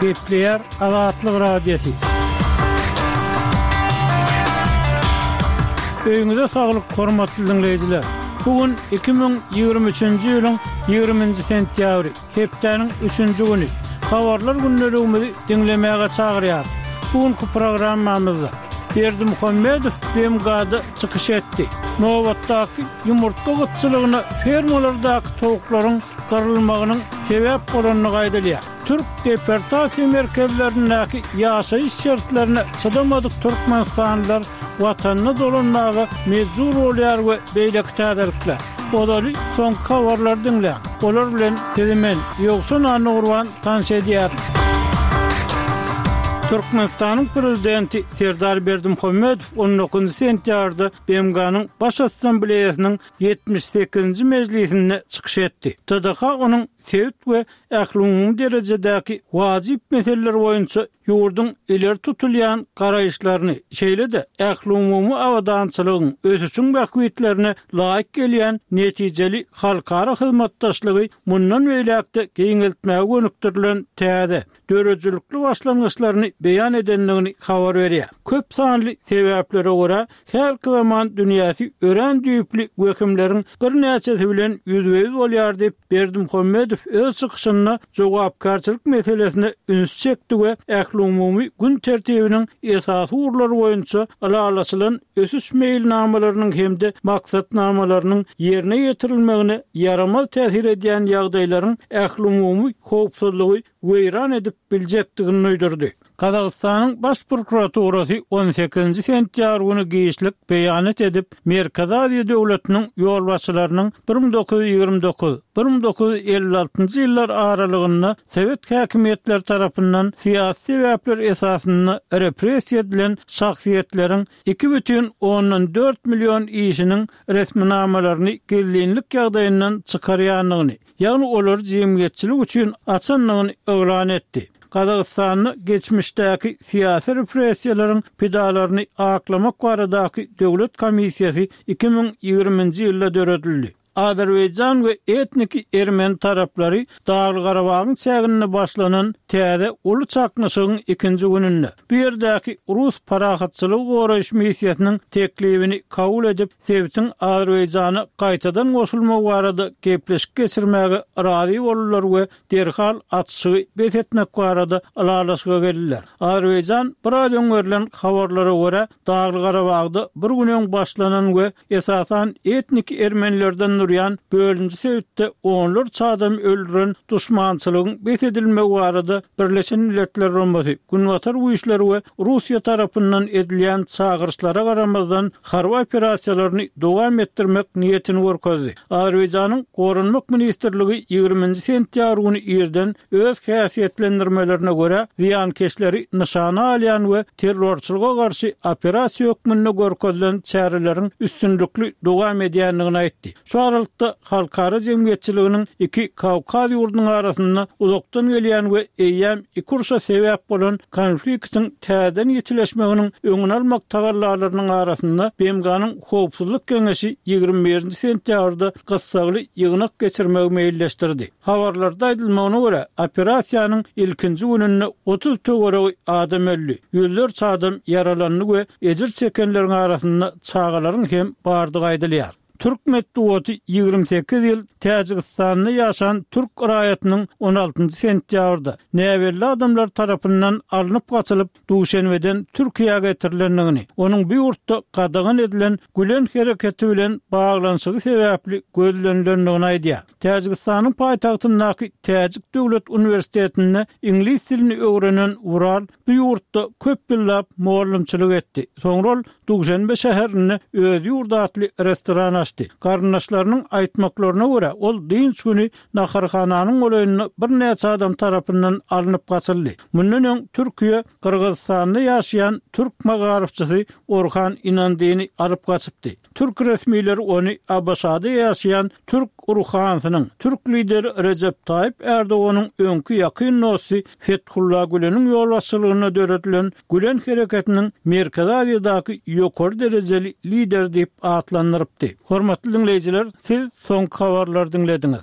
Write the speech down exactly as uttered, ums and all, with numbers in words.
Gepleýär Azatlyk Radiosy. Öýüňize saglyk, hormatly diňleýjiler! Bu gün iki müň ýigrimi üçünji ýylyň ýigriminji sentýabry, hepdäniň üçünji güni. Habarlar gündeligimizi diňlemäge çagyrýarys. Bu günki programmamyzda Berdimuhamedow BMG-da çykyş etdi. Nobatdaky ýumurtga gytçylygyna fermalardaky towuklaryň gyrylmagynyň sebäp bolandygy aýdylýar. Türk deportasiýa merkezlerindäki ýaşaýyş şertlerine çydamadyk türkmenistanlylar watanyna dolanmaga mejbur bolýar we beýleki täzelikler. Ozaly soňky habarlary diňläň. Olar bilen sizi men, Ýowşan Annagurban tanyş edýärin. Türkmenistanyň Prezidenti Serdar Berdimuhamedow on dokuzynjy sentýabrda BMG-niň Baş Assambleýasynyň ýetmiş sekizinji mejlisinde çykyş etdi. T D H onuň sebit we ählumumy derejedäki wajyp meseleler boýunça ýurduň ileri tutulýan garaýyşlaryny, şeýle-de ählumumy abadançylygyň, ösüşiň bähbitlerine laýyk gelýän netijeli halkara hyzmatdaşlygy mundan beýläk-de giňeltmäge gönükdirilen täze, döredijilikli başlangyçlaryny beýan edendigini habar berýär. Köp sanly sebäplere görä, häzirki zaman dünýäsi örän düýpli wehimleriň birnäçesi bilen ýüzbe-ýüz bolýar diýip, Berdimuhamedow öz çykyşynda jogapkärçilik meselesine üns çekdi we ählumumy gün tertibiniň esasy ugurlary boýunça ylalaşylan ösüş meýilnamalarynyň hem-de maksatnamalarynyň ýerine ýetirilmegine ýaramaz täsir edýän ýagdaýlaryň ählumumy howpsuzlygy weýran edip biljekdigini duýdurdy. Gazagystanyň Baş prokuraturasy on sekizinji sentýabr güni giçlik beýanat edip, Merkezi Aziýa döwletiniň ýolbaşçylarynyň bir müň dokuz ýüz ýigrimi dokuz, bir müň dokuz ýüz elli altynjy ýyllar aralygynda sowet häkimiýetleri tarapyndan syýasy sebäpler esasynda repressiýa edilen şahsyýetleriň iki bütin ondan dört million işiniň resminamalaryny gizlinlik ýagdaýyndan çykarýandygyny, ýagny olary jemgyýetçilik üçin açandygyny yglan etdi. Gazagystanda geçmişdäki syýasy repressiýalaryň pidalaryny aklamak baradaky döwlet komissiýasy iki müň ýigriminji ýylda döredildi. Azerbaýjan we etniki ermeni taraplary Dagly-Garabagyň çäginde başlanan täze uly çaknyşygyň ikinji gününde bu ýerdäki rus parahatçylygy goraýyş missiýasynyň teklibini kabul edip, sebitiň Azerbaýjana gaýtadan goşulmagy barada gepleşik geçirmäge razy boldular we derhal atyşygy bes etmek barada ylalaşyga geldiler. Azerbaýjan biraz öň berlen habarlara görä, Dagly-Garabagda bir gün öň başlanan we esasan etniki ermenilerden durýan bölünji sebitde onlarça adam öldüren duşmançylygyň bes edilmegi barada Birleşen Milletler Guramasy, Günbatar güýçleri we Russiýa tarapyndan edilýän çagyryşlara garamazdan harby operasiýalaryny dowam etdirmek niýetini görkezdi. Azerbaýjanyň Goranmak ministrligi ýigriminji sentýabr güni irden öz häsiýetlendirmelerine görä zyýankeşleri nyşana alýan we terrorçylyga garşy operasiýa hökmünde görkezilen çäreleriň üstünlikli dowam edýändigini aýtdy. Şu aralykda halkara jemgyýetçiliginiň iki Kawkaz ýurdunyň arasynda uzakdan gelýän we eýýäm iki urşa sebäp bolan konfliktiň täzeden ýitileşmeginiň öňüni almak tagallalarynyň arasynda B M G-nyň Howpsuzlyk Geňeşi ýigrimi birinji sentýabrda gyssagly ýygnak geçirmegi meýilleşdirdi. Habarlarda aýdylmagyna görä, operasiýanyň ilkinji gününde otuz töweregi adam öldi, ýüzlerçe adam ýaralandy we ejir çekenleriň arasynda çagalaryň hem bardygy aýdylýar. Türk metbugaty ýigrimi sekiz ýyl Täjigistanda ýaşan türk raýatynyň on altynjy sentýabrda näbelli adamlar tarapyndan alnyp gaçylyp, Duşenbeden Türkiýä getirilendigini, onuň bu ýurtda gadagan edilen Gülen hereketi bilen baglanyşygy sebäpli gözlenilendigini aýdýar. Täjigistanyň paýtagtyndaky Täjik döwlet uniwersitetinde iňlis dilini öwrenen Ural bu ýurtda köp ýyllap mugallymçylyk etdi. Soňra ol Duşenbe şäherinde Öz ýurt atly restoran açdy. Garyndaşlarynyň aýtmaklaryna görä, ol dynç güni naharhananyň golaýynda birnäçe adam tarapyndan alnyp gaçyldy. Mundan öň Türkiýe Gyrgyzystanda ýaşaýan türk magaryfçysy Orhan Inandyny alyp gaçypdy. Türk resmileri ony A B Ş-da ýaşaýan türk ruhanysynyň, türk lideri Rejep Taýyp Erdoganyň öňki ýakyn dosty Fethullah Güleniň ýolbaşçylygynda döredilen Gülen hereketiniň Merkezi Aziýadaky ýokary derejeli lideri diýip atlandyrypdy. Hormatly diňleýjiler, siz soňky habarlary diňlediňiz.